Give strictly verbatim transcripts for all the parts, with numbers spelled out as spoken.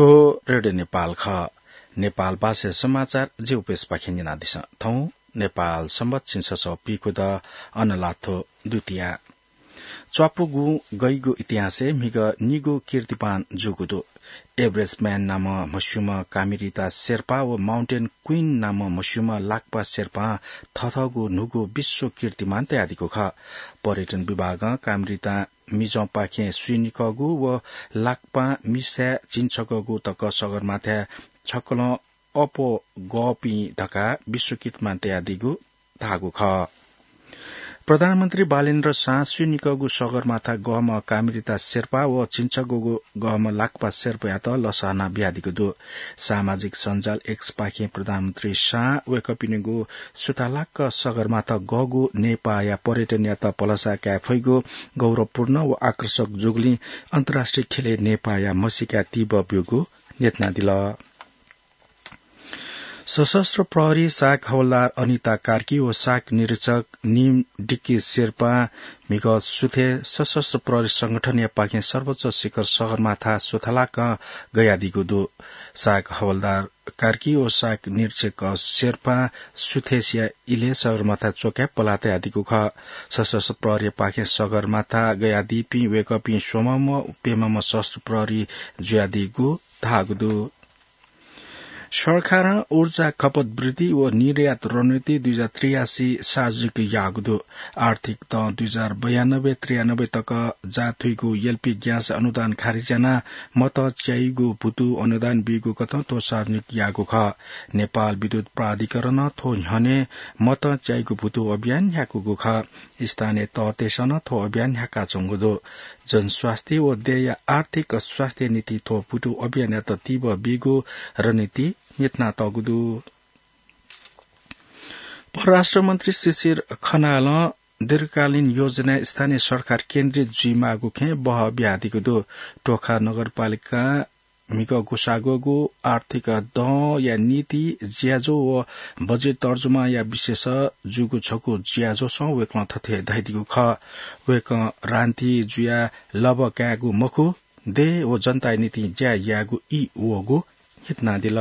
थ्व रेडियो नेपाल खः। नेपाल भाषा समाचार जिगु पेजपाखें न्यनादिसँ। थौं नेपाल संवत् झिंछसः पीखुदँ अनलाथ्व द्वितीया। च्वापुगुं गइगु इतिहासय् म्हिगः निगू कीर्तिमान जूगु दु। एभरेस्ट म्यान नामं म्हस्यूम्ह कामिरिता शेर्पा व माउन्टेन क्वीन नामं म्हस्यूम्ह लाक्पा शेर्पां थथःगु न्हूगु विश्व कीर्तिमान तयादीगु खः। पर्यटन विभागं कामिरिता मिजंपाखें स्वीनिकःगु व लाक्पां मिसाय् झिंछगःगु तक सगरमाथाय् छकलं अप्वः गःपिं धकाः विश्व कीर्तिमान तयादीगु धाःगु खः। प्रधानमन्त्री बालेन्द्र शाहं स्वीनिकःगु सगरमाथा गःम्ह कामिरिता शेर्पा व झिंछगःगु गःम्ह लाक्पा शेर्पायात लसहाना बियादीगु दु। सामाजिक सञ्जाल X पाखें प्रधानमन्त्री शाहं वय्कःपिनिगु सुथालाक सगरमाथा गःगु नेपाःया पर्यटनयात भलसा काये फइगु गौरवपूर्ण व आकर्षक जूगुलिं अन्तर्राष्ट्रिय ख्यलय् नेपाःया म्हसीका तीव्र ब्यूगु न्ह्यथनादिल। सशस्त्र प्रहरी शाख हवलदार अनिता कार्की व शाख निरीक्षक निम डिक्की शेर्पां म्हिगः सुथय् सशस्त्र प्रहरी संगठनया पाखें सर्वोच्च शिखर सगरमाथा सुथालाकं गयादीगु दु। शाख हवलदार कार्की व शाख निरीक्षक शेर्पां सुथय्सिया इलय् सगरमाथा च्वकाय् पलाः तयादीगु खः। सशस्त्र प्रहरीया पाखें सगरमाथा गयादीपिं वय्कःपिं स्वम्हम्ह प्यम्हम्ह सशस्त्र प्रहरी जुयादीगु धाःगु दु। सरकारं ऊर्जा खपत वृद्धि व निर्यात रणनीति दुई हजार त्रियासी सार्वजनिक याःगु दु। आर्थिक दँ दुई हजार बयानब्बे त्रियानब्बे तक जाथुइगु एलपी ग्यास अनुदान खारेज यानाः मतं च्याइगु भुतु अनुदान बीगु कथं थ्व सार्वजनिक याःगु खः। नेपाल विद्युत प्राधिकरणं थ्व न्ह्यःने मतं च्याइगु भुतु अभियान न्ह्याकूगु खः। स्थानीय तहतय्सं नं थ्व अभियान न्ह्याकाच्वंगु दु। जनस्वास्थ्य व देय्या आर्थिक स्वास्थ्य निंतिं थ्व भुतु अभियानयात तीव्र बीगु रणनीति न्ह्यथनातःगु दु। परराष्ट्र मन्त्री शिशिर खनालं दीर्घकालीन योजनाय् स्थानीय सरकार केन्द्रित जुइमाःगु खँय् बहः बियादीगु दु। टोखा नगरपालिकां म्हिगः ग्वसाः ग्वःगु आर्थिक दँया निंतिं ज्याझ्वः व बजेट तर्जुमाया विषयस जूगु छगू ज्याझ्वलय् वय्कलं थथे धयादीगु खः। वय्कलं राजनीति जुयाः लभा कायेगु मखु, देय् व जनताया निंतिं ज्या यायेगु ई वःगु न्ह्यथनादिल।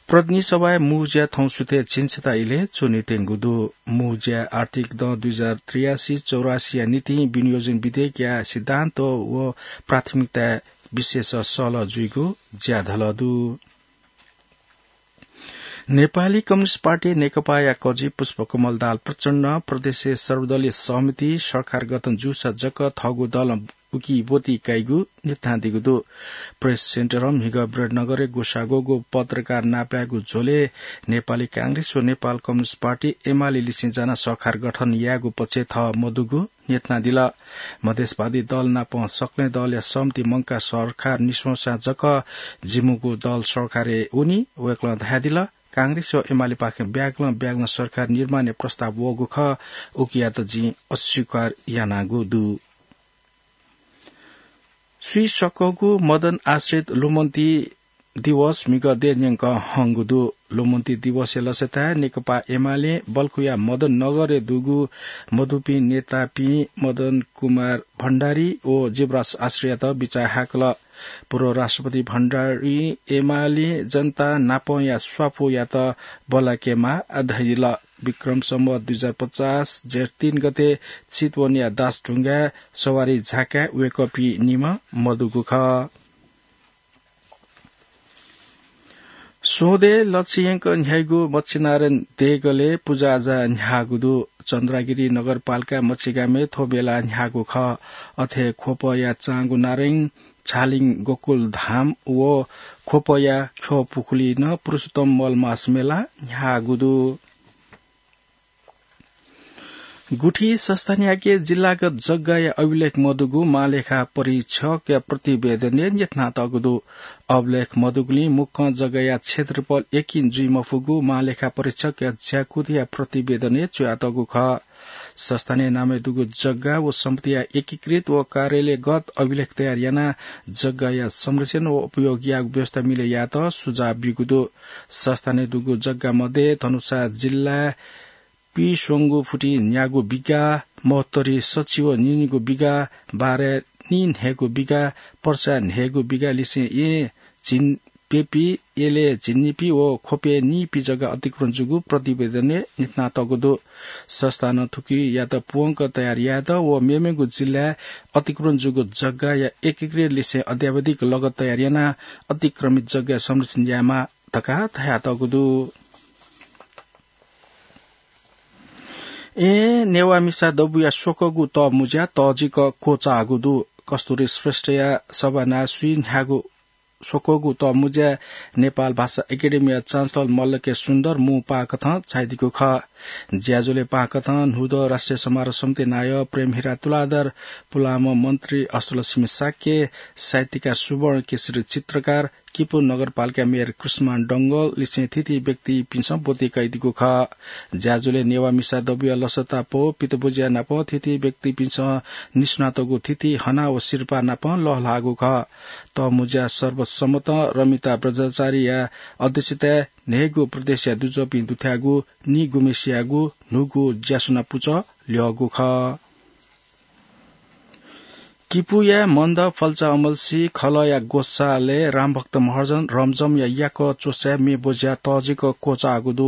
प्रतिनिधि सभाय् मू ज्या थौं सुथय् झिंछता इलय् च्वनेत्यंगु दु। मू ज्या आर्थिक दँ दुई हजार त्रियासी चौरासीया निंतिं विनियोजन विधेयकया सिद्धान्त व प्राथमिकताया विषयस सहलह जुइगु ज्याझ्वलय् दु। नेपाली कम्युनिस्ट पार्टी नेकपाया कजि पुष्पकमल दाहाल प्रचण्डं प्रदेशय् सर्वदलीय सहमति सरकार गठन जूसा जक थःगु दलं उकी ब्वति काइगु न्ह्यथनादीगु दु। प्रेस सेन्टरं म्हिगः विराटनगरय् ग्वसाः ग्वःगु पत्रकार नापलायेगु झ्वलय् नेपाली कांग्रेस व नेपाल कम्युनिस्ट पार्टी एमाले लिसें जानाः सरकार गठन यायेगु पक्षय् थः मदुगु न्ह्यथनादिल। मधेसवादी दल नाप सकलें दलया सहमति मंकाः सरकार निस्वंसा जक जिमिगु दल सरकारय् वनी। वय्कलं धयादिल, कांग्रेस व एमालेपाखें ब्यागलं ब्यागलं सरकार निर्माणया प्रस्ताव वःगु खः, उकियात जिं अस्वीकार यानागु दु। स्वीसक्वःगु मदन आश्रित लुमन्ति दिवस म्हिगः देय् न्यंकं हंगु दु। लुमन्ति दिवसया लसताय् नेकपा एमालें बल्खुया मदन नगरय् दुगु मदुपिं नेतापिं मदन कुमार भण्डारी व जीवराज आश्रितयात बिचाः हाकल। पूर्व राष्ट्रपति भण्डारीं एमालें जनता नापंया स्वापू यात बल्लाकेमाः धयादिल। विक्रम सम्वत दुई हजार पचास जेठ तीन गते चितवनया दासढुङ्गाय् सवारी झाकाय् वय्कःपिं निम्ह मदुगु खः। स्वंदँय् लच्छि यंक न्ह्याइगु मच्छिनारायण देगलय् पुजाआजा न्ह्याःगु दु। चन्द्रागिरी नगरपालिका मच्छिगामय् थ्व मेला न्ह्याःगु खः। अथे ख्वपया चांगु नारायण, छालिङ गोकुल धाम व ख्वपया ख्यः पुखुलिइ नं पुरुषोत्तम मलमास मेला न्ह्याःगु दु। गुठी संस्थानयाके जिल्लागत जग्गाया अभिलेख मदुगु महालेखा परीक्षकया प्रतिवेदनय् न्ह्यथनातःगु दु। अभिलेख मदुगुलिं मुक्कं जग्गाया क्षेत्रफल यकिन जुइमफुगु महालेखा परीक्षकया ज्याकुथिया प्रतिवेदनय् च्वयातःगु खः। संस्थानया नामय् दुगु जग्गा व सम्पत्तिया एकीकृत व कार्यालयगत अभिलेख तयार यानाः जग्गाया संरक्षण व उपयोग यायेगु व्यवस्था मिले यायेत सुझाव ब्यूगु दु। संस्थानय् दुगु जग्गा मध्ये धनुषा जिल्लाय् पीस्वंगू फुति न्यागू बिगा, महोत्तरी सच्छि व निनिगू बिगा, बाराय् नीन्हय्गू बिघा, पर्सा न्हय्गू बिघा लिसें येँ झिन प्यपी, एले झिंनिपी व ख्वपे नीपी जग्गा अतिक्रमण जूगु प्रतिवेदनय् न्ह्यथनातःगु दु। संस्थानं थुकियात पूवंक तयार यायेत व मेमेगु जिल्लाय् अतिक्रमण जूगु जग्गाया एकीकृत लिसें अद्यावधिक लगत तयार यानाः अतिक्रमित जग्गा संरक्षण यायेमाः धकाः धयातःगु दु। एँ नेवाः मिसा दबूया स्वकःगु तःमुँज्या तःजिक क्वचाःगु दु। कस्तुरी श्रेष्ठया सभानाय् स्वीन्हय्गू स्वकःगु तःमुँज्या नेपाल भाषा एकेडेमीया चान्सलर मल्ल के सुन्दर मू पाःकथं झायादीगु खः। ज्याझ्वलय् पाःकथं न्हूदँ राष्ट्रिय समारोह समिति नायः प्रेमहिरा तुलाधर, पुलांम्ह मन्त्री अष्टलक्ष्मी शाक्य, साहित्यकार सुवर्ण केशरी चित्रकार, किपू नगरपालिका मेयर कृष्णमान डंगोल लिसें थीथी व्यक्तिपिन्सं ब्वति कयादीगु खः। ज्याझ्वलय् नेवाः मिसा दबूया लसता पौ पितबुज्या नाप थीथी व्यक्तिपिन्सं निस्वनातःगु थीथी हना व सिरपाः नाप लःल्हाःगु खः। तःमुँज्या सर्वसम्मतं रमिता बज्राचार्यया अध्यक्षताय् न्हय्गू प्रदेशया दुजःपिं दुथ्याःगु निगुम्हेसियागु न्हूगु ज्यासुना पुचः ल्यःगु खः। किपूया मन्द फल्चा अमल्सी खलःया ग्वसालय् रामभक्त महर्जन रमजमया याकः च्वसाय् म्ये ब्वज्या तःजिक क्वचाःगु दु।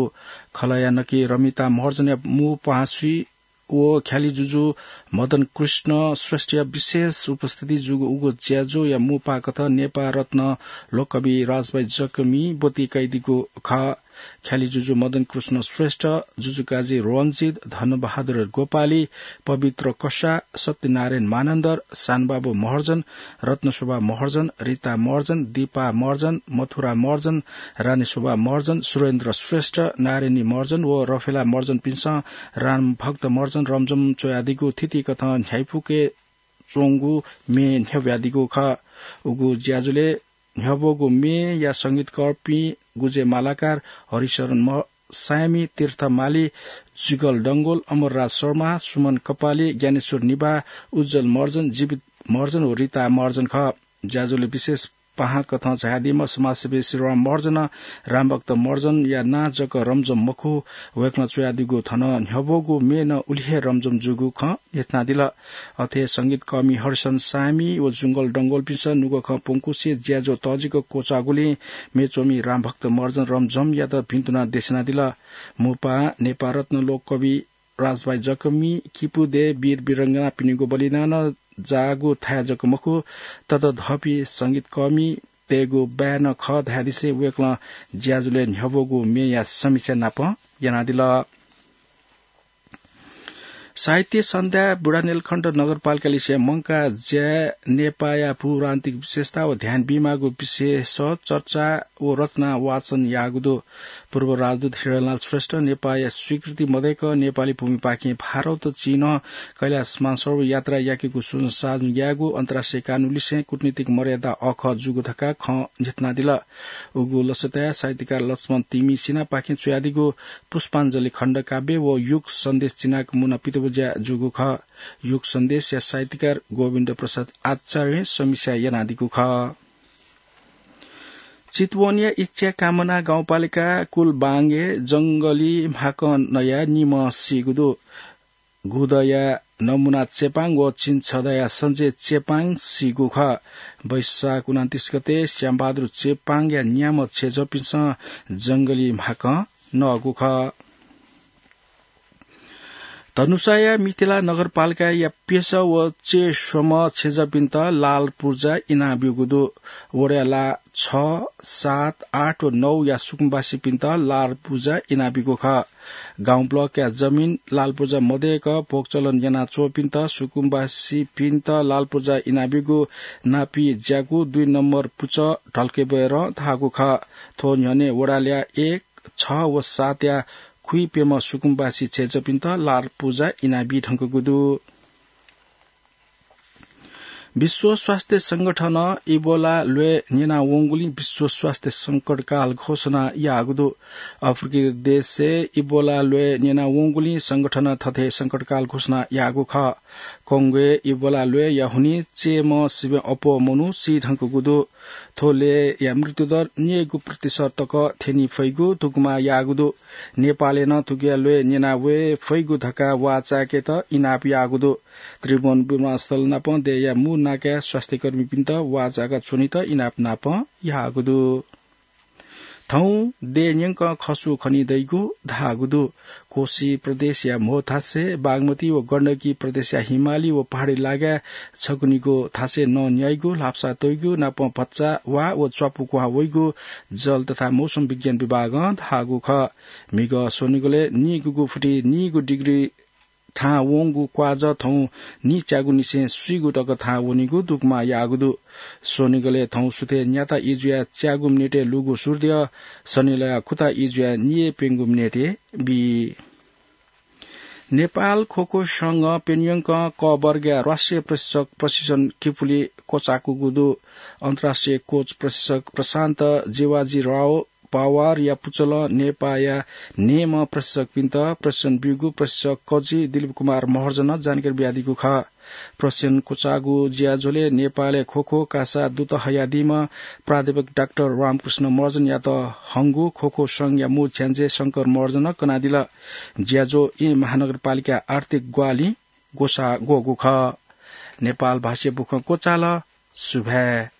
खलःया नकि रमिता महर्जनया मू पाहांस्वी व ख्यालि जुजु मदन कृष्ण श्रेष्ठया विशेष उपस्थिति जूगु उगु ज्याझ्वःया मू पाःकथं नेपाल रत्न लोककवि राजभाइ जकमिं ब्वति कयादीगु खः। ख्यालि जुजु मदन कृष्ण श्रेष्ठ, जुजुकाजी रञ्जित, धनबहादुर गोपाली, पवित्र कसा, सत्यनारायण मानन्धर, सानबाबु महर्जन, रत्नशोभा महर्जन, रिता महर्जन, दीपा महर्जन, मथुरा महर्जन, रानीशोभा महर्जन, सुरेन्द्र श्रेष्ठ, नारायणी महर्जन व रफेला महर्जनपिन्सं रामभक्त महर्जन रमजम च्वयादीगु थीथी कथं न्ह्याइपुके च्वंगु म्ये न्ह्यब्वयादीगु खः। उगु ज्याझ्वलय् न्ह्यब्वःगु म्येया संगीतकःपिं गुजे मालाकार, हरिशरण म-, सायमी, तीर्थ माली, जुगल डंगोल, अमरराज शर्मा, सुमन कपाली, ज्ञानेश्वर निभाः, उज्जवल महर्जन, जीवित महर्जन व रिता महर्जन खः। ज्याझ्वलय् विशेष पाहां कथं झायादीम्ह समाजसेवी श्रीराम महर्जनं रामभक्त महर्जनया नां जक रमजम मखु, वय्कलं च्वयादीगु थन न्ह्यब्वःगु म्ये नं उलि हे रमजम जूगु खँ न्ह्यथनादिल। अथे संगीतकःमि हरिशरण सायमी व जुंगल डंगोलपिन्सं नुगः खँ प्वंकुसे ज्याझ्वः तःजिक क्वचाःगुलिं म्ये च्वमि रामभक्त महर्जन रमजमयात भिन्तुना देछानादिल। मू पाहां नेपाल रत्न लोककवि राजभाइ जकमि किपू देय् वीर वीरांगनापिनिगु बलिदानं जाःगु थाय् जक मखु, ततःधंपिं संगीतकःमितय्गु बाय् नं खः धयादिसें वय्कलं ज्याझ्वलय् न्ह्यब्वःगु म्येया समीक्षा नाप यानादिल। साहित्य सन्ध्या बुढानीलकण्ठ नगरपालिकालिसे मंकाः ज्याय् नेपाःया भूप्रान्तिक विशेषता व ध्यान बीमाःगु विषयस चर्चा व रचना वाचन याःगु दु। पूर्व राजदूत हिरणलाल श्रेष्ठ नेपाःया स्वीकृति मदय्क नेपाली भूमिपाखें भारत चीनं कैलाश मानसरोवर यात्रा याकेगु स्वजन साझं यायेगु अन्तर्राष्ट्रिय कानूनलिसें कूटनीतिक मर्यादा अःखः जूगु धकाः खँ न्ह्यथनादिल। उगु लसताय् साहित्यकार लक्ष्मण तिमि सिन्हापाखें च्वयादीगु पुष्पाञ्जलि खण्डकाव्य व युग सन्देश चिनाक मुना पितबज्या जूगु खः। युग सन्देशया साहित्यकार गोविन्द प्रसाद आचार्यं समीक्षा यानादीगु खः। चितवनया इच्छा कामना गाउँपालिका कुलबाङय् जंगली म्हाकं नयाः निम्ह सीगु दु। गुदँया नमुना चेपाङ व चिन्छदँया सञ्जय चेपाङ सीगु खः। वैशाख उनन्तीस गते श्यामबहादुर चेपाङया न्याम्ह छेँजःपिन्सं जंगली म्हाकं नःगु खः। धनुषाया मिथिला नगरपालिकाया प्यसः व चय्स्वम्ह छेँजःपिन्त लाल पुर्जा इनाप ब्यूगु दु। वडा ला छ, सात, आठ व नौया सुकुम्बासीपिन्त लाल पुर्जा इनाप ब्यूगु खः। गाउँ ब्लकया जमिन लाल पुर्जा मदय्क भोगचलन यानाच्वंपिन्त सुकुम्बासीपिन्त लाल पुर्जा इनाप ब्यूगु नापी ज्याकू दुई नम्बर पुचः ढल्केबय्रं धाःगु खः। थ्व न्ह्यःने वडा ला एक, छ व सातया खुइप्यम्ह सुकुम्बासी छेँजःपिन्त लाल पुर्जा इनाप बी धुंकूगु दु। विश्व स्वास्थ्य संगठनं इबोला ल्वय् न्यनावंगुलिं विश्व स्वास्थ्य संकटकाल घोषणा याःगु दु। अफ्रिकी देशय् इबोला ल्वय् न्यनावंगुलिं संगठनं थथे संकटकाल घोषणा याःगु खः। कोंगोय् इबोला ल्वय्‌या हुनिं चय्‌म्ह सिबें अप्वः मनू सी धुंकूगु दु। थ्व ल्वय्‌या मृत्युदर न्यय्‌गू प्रतिशत तक थ्यनी फइगु धुकुमा याःगु दु। नेपालय् नं थुकिया ल्वय् न्यना वये फइगु धकाः वाः चाय्‌केत इनाप याःगु दु। त्रिभुवन विमानस्थल नापं देय्‌या मू नाकाय् स्वास्थ्यकर्मीपिन्त वाःचाका च्वनेत इनाप नापं याःगु दु। थौं देय् न्यंकं खसु खनी दइगु धाःगु दु। कोशी प्रदेशया म्हो थासय्, बागमती व गण्डकी प्रदेशया हिमाली व पहाडी लागाय् छकुनिगु थासय् नं न्याइगु, ल्हापसा तइगु नापं भचा वा व च्वापु क्वहां वइगु जल तथा मौसम विज्ञान विभागं धाःगु खः। म्हिगः स्वनिगलय् नीगुगु फुति नीगु डिग्री थाहां वंगु क्वाःजः थौं नीच्यागुनिसें स्वीगु तक थाहां वनीगु दुगुमाः याःगु दु। स्वनिगलय् थौं सुथय् न्याता इजुया च्यागु मिनेटय् लूगु सूर्य सनिलया खुता इजुया निय् प्यंगु मिनेटय् बी। नेपाल खोखो संघं प्यन्यंकं क वर्गया राष्ट्रिय प्रशिक्षक प्रशिक्षण किपुली क्वचाकूगु दु। अन्तर्राष्ट्रिय कोच प्रशिक्षक प्रशान्त जेवाजी राव पावारया पुचलं नेपाःया न्हय्‌म्ह प्रशिक्षकपिन्त प्रशिक्षण ब्यूगु प्रशिक्षक कजि दिलीप कुमार महर्जनं जानकारी बियादीगु खः। प्रशिक्षण क्वचाःगु ज्याझ्वलय् नेपालय् खोखो कासा दुत हयादीम्ह प्राध्यापक डाक्टर रामकृष्ण महर्जनयात हंगु खोखो संघया मू छ्याञ्जे शंकर महर्जनं कनादिल। ज्याझ्वः येँ महानगरपालिका आर्थिक ग्वाहालिं ग्वसाः ग्वःगु खः। नेपाल भाषाय् बुखँ क्वचाल। सुभाय्।